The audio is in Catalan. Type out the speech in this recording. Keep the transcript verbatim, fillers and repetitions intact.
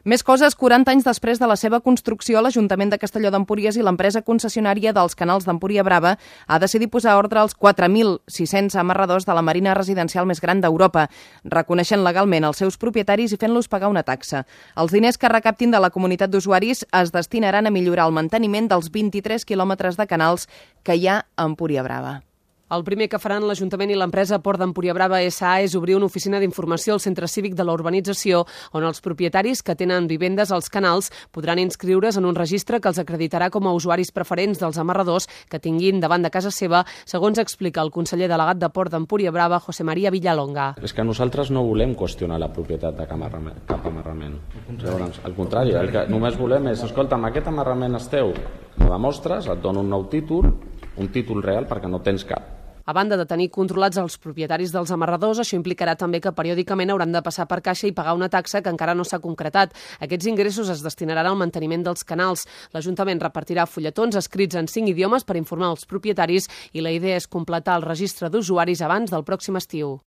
Més coses, quaranta anys després de la seva construcció, l'Ajuntament de Castelló d'Empúries i l'empresa concessionària dels canals d'Empúria Brava ha decidit posar ordre als quatre mil sis-cents amarradors de la marina residencial més gran d'Europa, reconeixent legalment els seus propietaris i fent-los pagar una taxa. Els diners que recaptin de la comunitat d'usuaris es destinaran a millorar el manteniment dels vint-i-tres quilòmetres de canals que hi ha a Empúria Brava. El primer que faran l'Ajuntament i l'empresa Port d'Empúria Brava S A és obrir una oficina d'informació al centre cívic de la urbanització, on els propietaris que tenen vivendes als canals podran inscriure's en un registre que els acreditarà com a usuaris preferents dels amarradors que tinguin davant de casa seva, segons explica el conseller delegat de Port d'Empúria Brava, José María Villalonga. És que nosaltres no volem qüestionar la propietat de cap amarrament. Llavors, al contrari, el que només volem és, escolta'm, aquest amarrament és teu, m'ho demostres, et dono un nou títol, un títol real perquè no tens cap. A banda de tenir controlats els propietaris dels amarradors, això implicarà també que periòdicament hauran de passar per caixa i pagar una taxa que encara no s'ha concretat. Aquests ingressos es destinaran al manteniment dels canals. L'Ajuntament repartirà fulletons escrits en cinc idiomes per informar els propietaris i la idea és completar el registre d'usuaris abans del pròxim estiu.